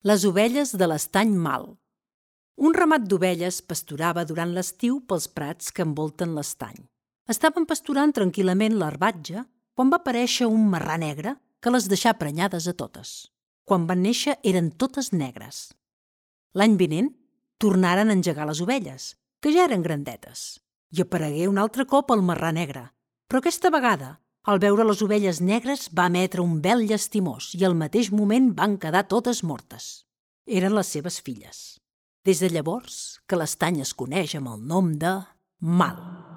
Les ovelles de l'estany Mal. Un ramat d'ovelles pasturava durant l'estiu pels prats que envolten l'estany. Estaven pasturant tranquil·lament l'herbatge quan va aparèixer un marrà negre que les deixà prenyades a totes. Quan van néixer eren totes negres. L'any vinent tornaren a engegar les ovelles, que ja eren grandetes, i aparegué un altre cop el marrà negre. Però aquesta vegada, al veure les ovelles negres, va emetre un vel llastimós i al mateix moment van quedar totes mortes. Eren les seves filles. Des de llavors que l'estany es coneix amb el nom de Mal.